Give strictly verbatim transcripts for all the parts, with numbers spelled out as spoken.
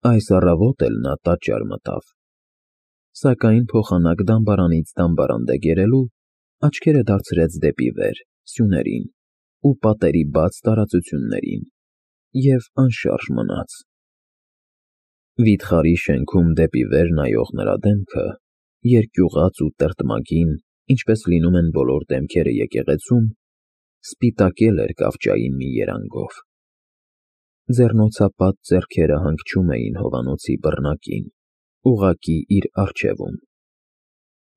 Այս առավոտ էլ նա տաճար մտավ, սակայն փոխանակ դամբարանից դամբարան դեգերելու, աչքերը դարձրեց դեպի վեր, սյուներին ու պատերի բաց տարածություններին և անշարժ մնաց։ Վիթխարի շենքում դեպի վեր նայող նրա դեմքը, երկյուղած ու տրտմագին, ինչպես լինում են բոլոր դեմքերը եկեղեցում, սպիտակել էր կավճային մի երանգով։ Ձեռնոցապատ ձեռքերը հանգչում էին հովանոցի բռնակին, ուղղակի իր առջևում,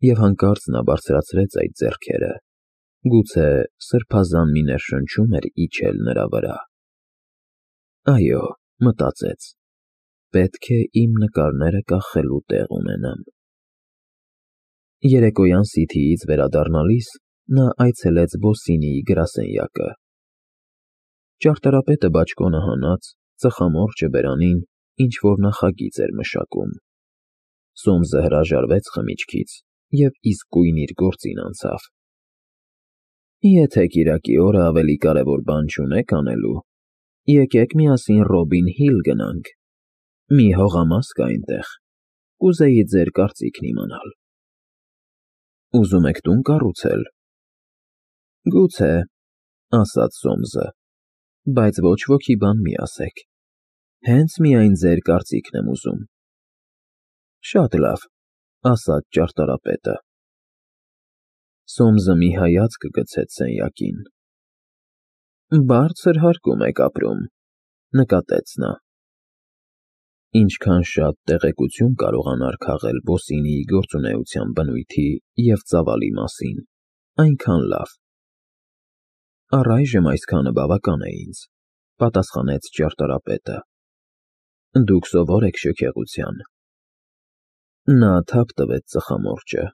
և հանկարծ նա բարձրացրեց այդ ձեռքերը, գուցե սրբազան մի ներշնչում էր իջել նրա վրա։ «Այո,» մտածեց, «պետք է իմ նկարները կախելու տեղ ունենամ»։ Երեկոյան Սիթիից վերադառնալիս նա այցելեց Բոսինիի գրասենյակը։ Ճարտարապետը բաճկոնը հանած, ծխամորճը բերանին ինչ-որ նախագիծ էր մշակում։ Սոմսը հրաժարվեց խմիչքից և իսկույն իր գործին անցավ։ «Եթե կիրակի օրը ավելի կարևոր բան չունեք անելու, եկեք միասին Ռոբին Հիլ գնանք, մի հողամաս կա այնտեղ, կուզեի ձեր կարծիքն իմանալ»։ «Ուզում եք տուն կառուցել»։ «Գուցե», ասաց Սոմսը, «բայց ոչ ոքի բան մի ասեք, հենց միայն ձեր կարծիքն եմ ուզում»։ «Շատ լավ», ասաց ճարտարապետը։ Սոմսը մի հայացք գցեց սենյակին։ «Բարձր հարկում եք ապրում», նկատեց նա։ Ինչքան շատ տեղեկություն կարողանար քաղել Բոսինիի գործունեության բնույթի և ծավալի մասին, այնքան լավ։ «Առայժմ այսքանը բավական է ինձ», պատասխանեց ճարտարապետը։ «Դուք սովոր եք շքեղության»։ Նա թափ տվեց ծխամորճը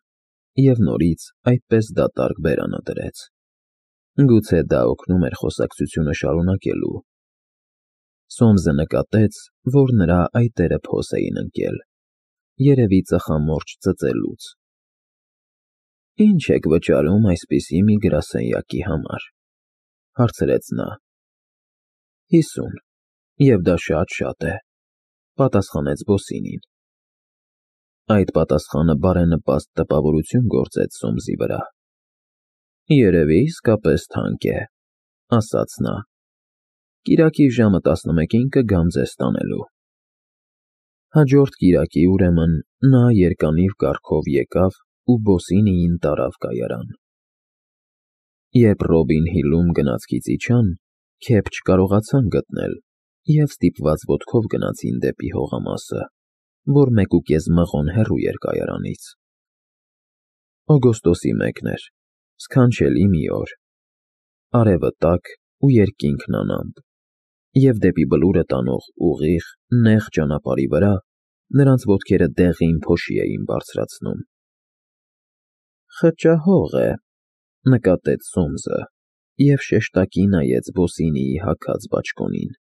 և նորից այդպես դատարկ բերանը դրեց։ Գուցե դա օգնում էր խոսակցությունը շարունակելու։ Սոմսը նկատեց, որ նրա այտերը փոս էին ընկել, երևի ծխամորճ ծծելուց։ «Ի՞նչ եք վճարում այսպիսի մի գրասենյակի համար», հարցրեց նա։ «Հիսուն, և դա շատ֊շատ է», պատասխանեց Բոսինին։ Այդ պատասխանը բարենպաստ տպավորություն գործեց Սոմսի վրա։ «Երևի իսկապես թանկ է», ասաց նա։ «Կիրակի ժամը տասնմեկին կգամ ձեզ տանելու»։ Հաջորդ կիրակի, ուրեմն, նա երկանիվ կառքով եկավ ու Բոսինիին տարավ կայարան։ Երբ Ռոբին Հիլում գնացքից իջան, քեֆ չկարողացան գտնել և ստիպված ոտքով գնացին դեպի հողամասը, որ մեկուկես մղոն հեռու էր կայարանից։ Օգոստոսի մեկն էր, սքանչելի մի օր, արևը տաք ու երկինքն անամպ, և դեպի Բլուրը տանող ուղիղ, նեղ ճանապարհի վրա նրանց ոտքերը դեղին փոշի էին բարձրացնում։ «Խճահող է», նկատեց Սոմսը և շեշտակի նայեց Բոսինիի հագած բաճկոնին։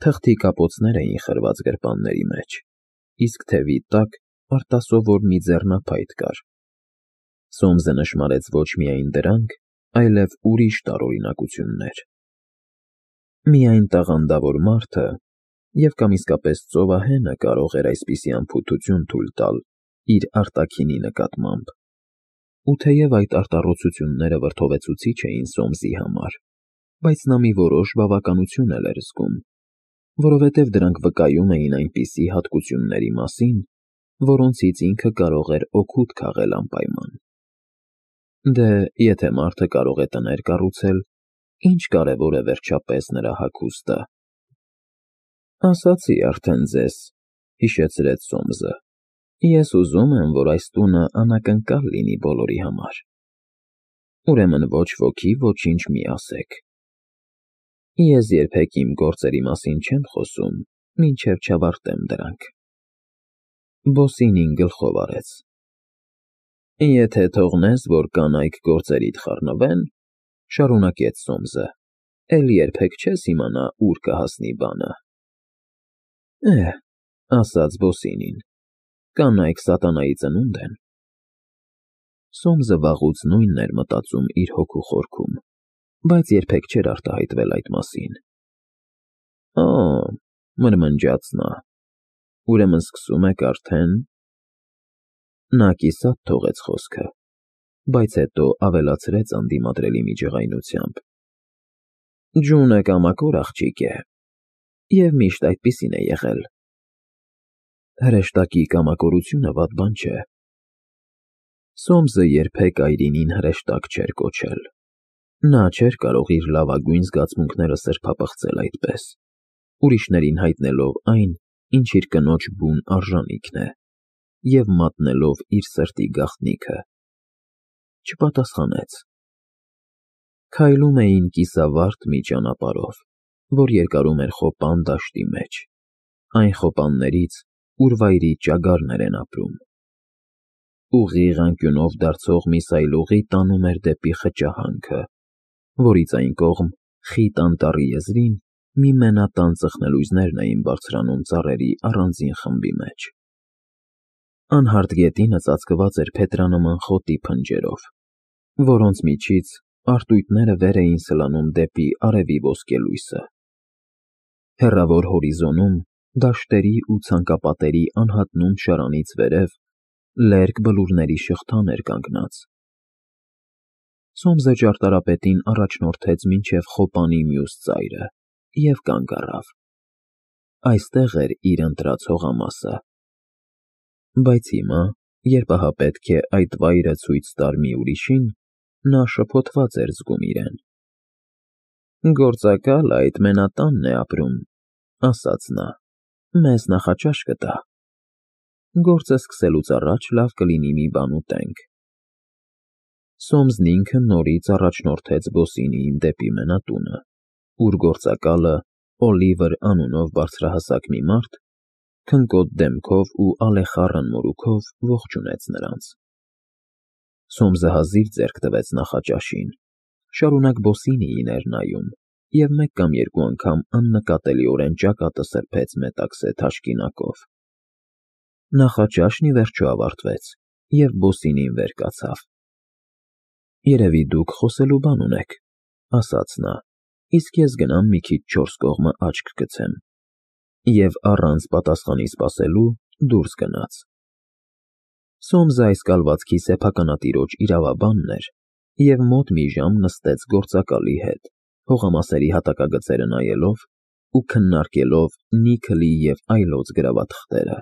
Թղթի կապոցներ էին խրված գրպանների մեջ, իսկ թևի տակ արտասովոր մի ձեռնափայտ կար։ Սոմսը նշմարեց ոչ միայն դրանք, այլև ուրիշ տարօրինակություններ։ Միայն տաղանդավոր մարդը և կամ իսկապես ծովահենը կարող էր այսպիսի անփութություն թույլ տալ իր արտաքինի նկատմամբ, ու թեև այդ արտառոցությունները վրդովեցուցիչ էին Սոմսի համար, բայց նա մի որոշ բավականություն էլ էր զգում, որովհետև դրանք վկայում էին այնպիսի հատկությունների մասին, որոնցից ինքը կարող էր օգուտ քաղել անպայման։ Դե, եթե մարդը կարող է տներ կառուցել, ի՞նչ կարևոր է վերջապես նրա հագուստը։ «Ասացի արդեն ձեզ», հիշեցրեց Սոմսը, «ես ուզում եմ, որ այս տունը անակնկալ լինի բոլորի համար։ Ուրեմն ոչ ոքի ոչինչ մի ասեք։ Ես երբեք իմ գործերի մասին չեմ խոսում, մինչև չավարտեմ դրանք»։ Բոսինին գլխով արեց։ «Եթե թողնես, որ կանայք գործերիդ խառնվեն,֊ շարունակեց Սոմսը,֊ էլ երբեք չես իմանա ուր կհասնի բանը»։ «Է՛հ,֊ ասաց Բոսինին,֊ կանայք սատանայի ծնունդ են»։ Սոմսը վաղուց նույնն էր մտածում իր հոգու խորքում, բայց երբեք չէր արտահայտվել այդ մասին։ «Օ՛,֊ մրմնջաց նա, Ուրեմն սկսում եք արդեն… Նա կիսատ թողեց խոսքը, բայց հետո ավելացրեց անդիմադրելի մի ջղայնությամբ. Ջունը կամակոր աղջիկ է, և միշտ այդպիսին է եղել։ Հրեշտակի կամակորությունը վատ բան չէ։ Սոմսը երբեք այրինին հրեշտակ չէր կոչել։ Նա չէր կարող իր լավագույն զգացմունքները սրբապղծել այդպես, ուրիշներին հայտնելով այն, ինչ իր կնոջ բուն արժանիքն է, և մատնելով իր սրտի գաղտնիքը։ Չպատասխանեց։ Քայլում էին կիսավարդ մի ճանապարհով, որ երկարում էր Խոպան դաշտի մեջ, այն խոպաններից, ուր վայրի ճագարներ են ապրում։ Ուղիղ անկյունով դարձող մի սայլուղի տանում էր դեպի խճահանքը, որից այն կողմ խիտ անտառի եզրին մի մենատան ծխնելույզներն էին բարձրանում ծառերի առանձին խմբի մեջ։ Անհարթ գետինը ծածկված էր փետրանման խոտի փնջերով, որոնց միջից արտույտները վեր էին սլանում դեպի արևի ոսկելույսը։ Հեռավոր հորիզոնում, դաշտերի ու ցանկապատերի անհատնում շարանից վերև, լերկ բլուրների շղթան էր կանգնած։ Սոմսը ճարտարապետին առաջնորդեց մինչև Խոպանի մյուս ծայրը և կանգ առավ։ Այստեղ էր իր ընտրած հողամասը։ Բայց հիմա, երբ ահա պետք է այդ վայրը ցույց տար մի ուրիշին, նա շփոթված էր զգում իրեն։ Գործակալը այդ մենատանն է ապրում, ասաց նա, մեզ նախաճաշ կտա։ Գործը սկսելուց առաջ լավ կլինի մի բան ուտենք։ Սոմսն ինքը նորից առաջնորդեց ոսինիին դեպի մենատունը, ուր գործակալը, Օլիվեր անունով բարձրահասակ մի մարդ, քնկոտ դեմքով ու ալեխառն մորուքով ողջունեց նրանց։ Սոմսը հազիվ ձեռք տվեց նախաճաշին, շարունակ բոսինիին էր նայում և մեկ կամ երկու անգամ աննկատելիորեն ճակատը սրբեց մետաքսե թաշկինակով։ Նախաճաշն ի վերջո ավարտվեց, և բոսինին վեր կացավ։ Երևի դուք խոսելու բան ունեք, ասաց նա, իսկ ես գնամ մի քիչ չորս կողմը աչք գցեմ։ Եվ առանց պատասխանի սպասելու դուրս գնաց։ Սոմսը այս կալվածքի սեփականատիրոջ իրավաբանն էր և մոտ մի ժամ նստեց գործակալի հետ, հողամասերի հատակագծերը նայելով ու քննարկելով Նիքլի և այլոց գրավաթղթերը։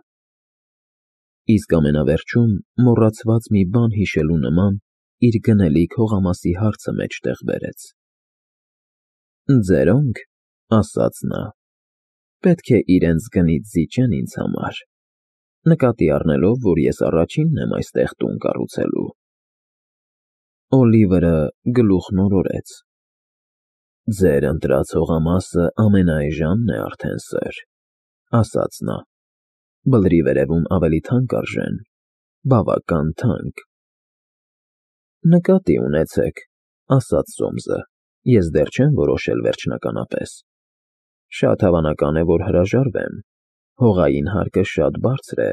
Իսկ ամենավերջում, մոռացված մի բան հիշելու նման, իր գնելիք հողամասի հարցը մեջտեղ բերեց։ Ձերոնք, ասաց նա, պետք է իրենց գնից զիջեն ինձ համար, նկատի առնելով, որ ես առաջինն եմ այստեղ տուն կառուցելու։ Օլիվերը գլուխն օրորեց։ Ձեր ընտրած հողամասը ամենաէժանն է արդեն, սըր, ասաց նա, բլրի վերևում ավելի թանկ արժեն, բավական թանկ։ Նկատի ունեցեք, ասաց Սոմսը, ես դեռ չեմ որոշել վերջնականապես։ Շատ հավանական է, որ հրաժարվեմ, հողային հարկը շատ բարձր է։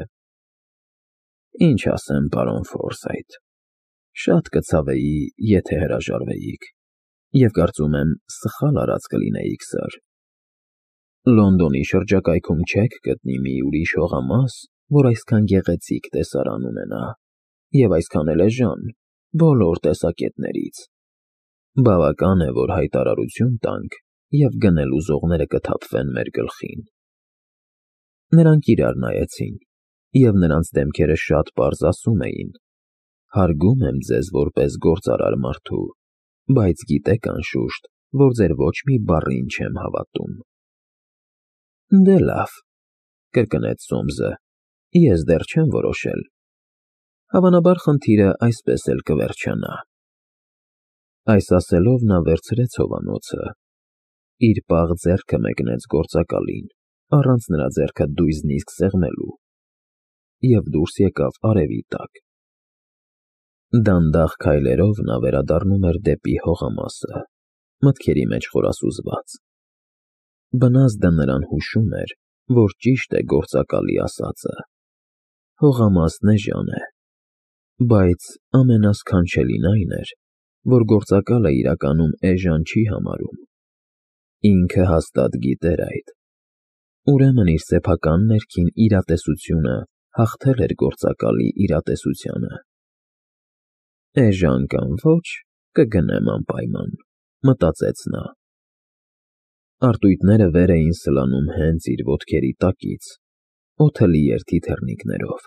Ինչ ասեմ, պարոն Ֆորսայթ, շատ կցավեի, եթե հրաժարվեիք, և կարծում եմ, սխալ արած կլինեիք, սըր։ Լոնդոնի շրջակայքում չեք գտնի մի ուրիշ հողամաս, որ այսքան գեղեցիկ տեսարան ունենա, և այսքան էլ էժան, բոլոր տեսակետներից։ Բավական է, որ հայտարարություն տանք, և գնել ուզողները կթափվեն մեր գլխին։ Նրանք իրար նայեցին, և նրանց դեմքերը շատ պարզ ասում էին. հարգում եմ ձեզ որպես գործարար մարդու, բայց գիտեք անշուշտ, որ ձեր ոչ մի բառին չեմ հավատում։ Դե լավ, կրկնեց Սոմսը, ես դեռ չեմ որոշել։ Հավանաբար խնդիրը այսպես էլ կվերջանա։ Այս ասելով նա վերցրեց հովանոցը, իր պաղ ձեռքը մեկնեց գործակալին, առանց նրա ձեռքը դույզնիսկ սեղմելու, և դուրս եկավ արևի տակ։ Դանդաղ քայլերով նա վերադառնում էր դեպի հողամասը, մտքերի մեջ խորասուզված։ Բնազդը նրան հուշում էր, որ ճիշտ է գործակալի ասածը. հողամասն էժան է, բայց ամենասքանչելին այն էր, որ գործակալը իրականում էժան չի համարում։ Ինքը հաստատ գիտեր այդ։ Ուրեմն իր սեփական ներքին իրատեսությունը հաղթել էր գործակալի իրատեսությանը։ Էժան կամ ոչ, կգնեմ անպայման, մտածեց նա։ Արտույտները վեր էին սլանում հենց իր ոտքերի տակից, օդը լի էր թիթեռնիկներով,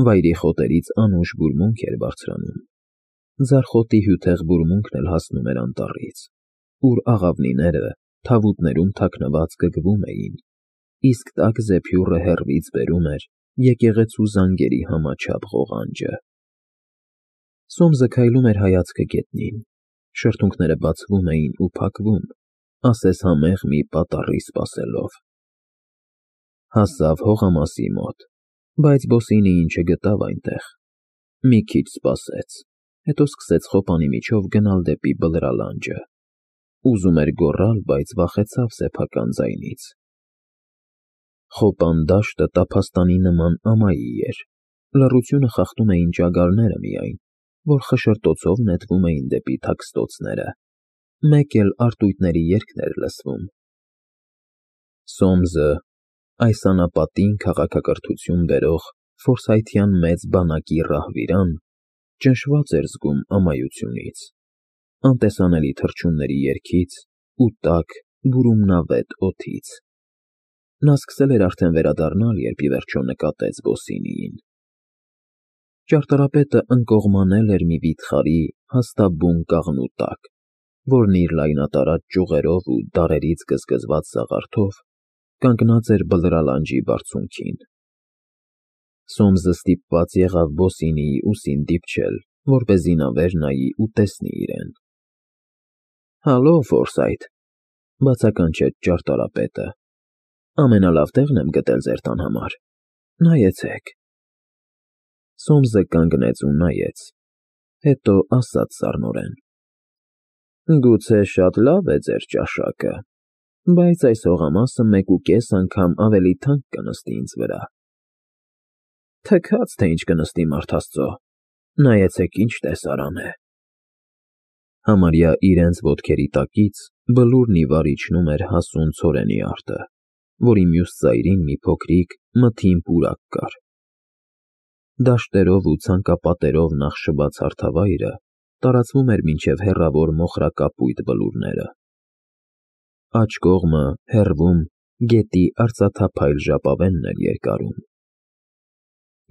վայրի խոտերից անուշ բուրմունք էր բարձրանում, ձարխոտի հյութեղ բուրմունքն էլ հասնում էր անտառից, ուր աղավնիները թավուտներում թաքնված գգվում էին, իսկ տաք զեփյուռը հեռվից բերում էր եկեղեցու զանգերի համաչափ ղողանջը։ Սոմսը քայլում էր հայացքը գետնին, շրթունքները բացվում էին ու փակվում, ասես համեղ մի պատառի սպասելով։ Հասավ հողամասի մոտ, բայց Բոսինիին չգտավ այնտեղ։ Մի քիչ սպասեց, հետո սկսեց խոպանի միջով գնալ դեպի Բլրալանջը։ Ուզում էր գոռալ, բայց վախեցավ սեփական ձայնից։ Խոպան դաշտը տափաստանի նման ամայի էր, լռությունը խախտում էին ճագարները միայն, որ խշշրտոցով նետվում էին դեպի թաքստոցները, մեկ էլ արտույտների երգն էր լսվում։ Սոմսը, այս անապատին քաղաքակրթություն բերող ֆորսայթյան մեծ բանակի ռահվիրան, ճնշված էր զգում ամայությունից, անտեսանելի թռչունների երգից ու տաք, բուրումնավետ օդից։ Նա սկսել էր արդեն վերադառնալ, երբ ի վերջո նկատեց Բոսինիին։ Ճարտարապետը ընկողմանել էր մի վիթխարի հաստաբուն կաղնու տակ, որն իր լայնատարած ճյուղերով ու դարերից գզգզված սաղարթով կանգնած էր Բլրալանջի բարձունքին։ Սոմսը ստիպված եղավ Բոսինիի ուսին դիպչել, որպեսզի նա վեր նայի ու տեսնի իրեն։ Հալո, Ֆորսայթ, բացականչեց ճարտարապետը, ամենալավ տեղն եմ գտել ձեր տան համար, նայեցեք։ Սոմսը կանգնեց ու նայեց, հետո ասաց սառնորեն. Գուցե շատ լավ է ձեր ճաշակը, բայց այս հողամասը մեկուկես անգամ ավելի թանկ կնստի ինձ վրա։ Թքած թե ինչ կնստի, մարդ աստծո, նայեցեք ինչ տեսարան է։ Համարյա իրենց ոտքերի տակից բլուրն ի վար իջնում էր հասուն ցորենի արտը, որի մյուս ծայրին մի փոքրիկ, մթին պուրակ կար։ Դաշտերով ու ցանկապատերով նախշված հարթավայրը տարածվում էր մինչև հեռավոր մոխրակապույտ բլուրները։ Աջ կողմը, հեռվում, գետի արծաթափայլ ժապավենն էր երկարում։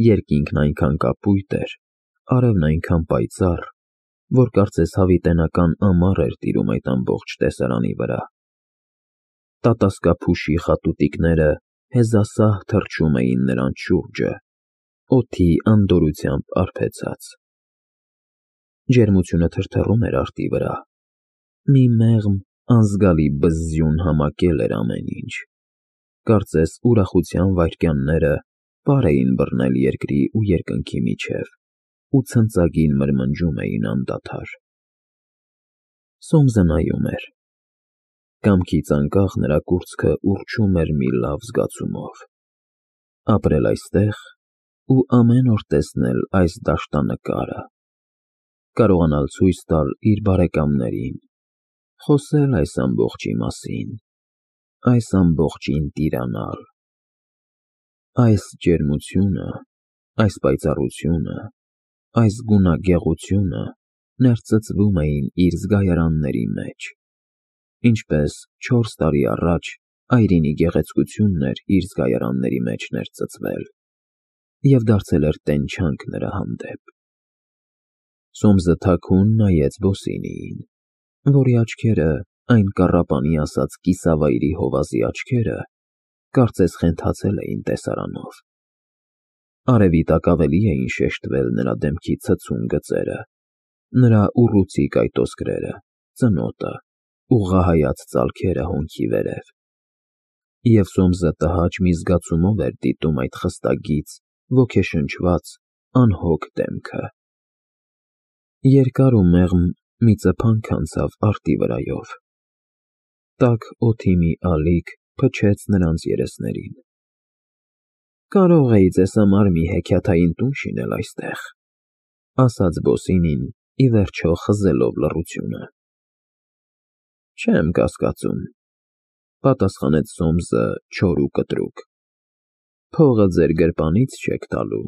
Երկինքն այնքան կապույտ էր, արևն այնքան պայծառ, որ կարծես հավիտենական ամառ էր տիրում այդ ամբողջ տեսարանի վրա։ Տատասկափուշի խատուտիկները հեզասահ թռչում էին նրանց շուրջը, օդի անդորրությամբ արբեցած։ Ջերմությունը թրթռում էր արտի վրա, մի մեղմ, անզգալի բզզյուն համակել էր ամեն ինչ, կարծես ուրախության վայրկյանները պար էին բռնել երկրի ու երկնքի միջև ու ցնծագին մրմնջում էին անդադար։ Սոմսը նայում էր։ Կամքից անկախ նրա կուրծքը ուռչում էր մի լավ զգացումով։ Ապրել այստեղ ու ամեն օր տեսնել այս դաշտանկարը, կարողանալ ցույց տալ իր բարեկամներին, խոսել այս ամբողջի մասին, այս ամբողջին տիրանալ։ Այս ջերմությունը, այս պայծառությունը, այս գունագեղությունը ներծծվում էին իր զգայարանների մեջ, ինչպես չորս տարի առաջ այրինի գեղեցկությունն էր իր զգայարանների մեջ ներծծվել և դարձել էր տենչանք նրա հանդեպ։ Սոմսը թաքուն նայեց Բոսինիին, որի աչքերը, այն կառապանի ասած կիսավայրի հովազի աչքերը, կարծես խենթացել էին տեսարանով։ Արևի տակ ավելի էին շեշտվել նրա դեմքի ցցուն գծերը, նրա ուռուցիկ այտոսկրերը, ծնոտը, ուղղահայաց ծալքերը հոնքի վերև։ Եվ Սոմսը տհաճ մի զգացումով էր դիտում այդ խստագիծ, ոգեշնչված, անհոգ դեմքը։ Երկար ու մեղմ մի ծփանք անցավ արտի վրայով։ Տաք օդի մի ալիք փչեց նրանց երեսներին։ Կարող էի ձեզ համար մի հեքիաթային տուն շինել այստեղ, ասաց Բոսինին, ի վերջո խզելով լռությունը։ Չեմ կասկածում, Պատասխանեց Սոմսը չոր ու կտրուկ։ Փողը ձեր գրպանից չեք տալու։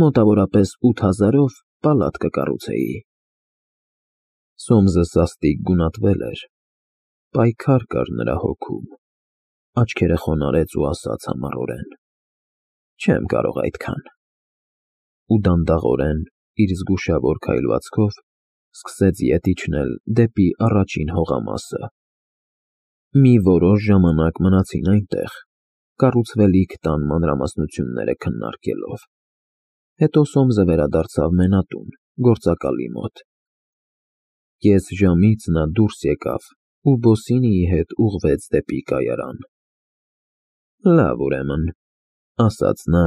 Մոտավորապես ութ հազարով պալատ կկառուցեի։ Սոմսը սաստիկ գունատվել էր, պայքար կար նրա հոգում, աչքերը խոնարհեց ու ասաց համառորեն. Չեմ կարող այդքան։ Ու դանդաղորեն, իր զգուշավոր քայլվածքով սկսեց ետ իջնել դեպի առաջին հողամասը։ Մի որոշ ժամանակ մնացին այնտեղ, կառուցվելիք տան մանրամասնությունները քննարկելով։ Հետո Սոմսը վերադարձավ մենատուն, գործակալի մոտ։ Կես ժամից նա դուրս եկավ ու Բոսինիի հետ ուղղվեց դեպի կայարան։ Լավ, ուրեմն, ասաց նա,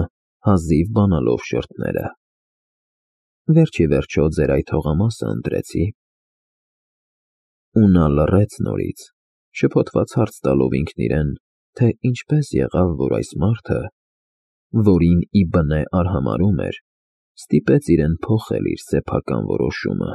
հազիվ բանալով շրթները։ Վերջ ի վերջո ձեր այդ հողամասը ընտրեցի։ Ու նա լռեց նորից, շփոթված հարց տալով ինքն իրեն, թե ինչպես եղավ, որ այս մարդը, որին ի բնե արհամարհում էր, ստիպեց իրեն փոխել իր սեփական որոշումը։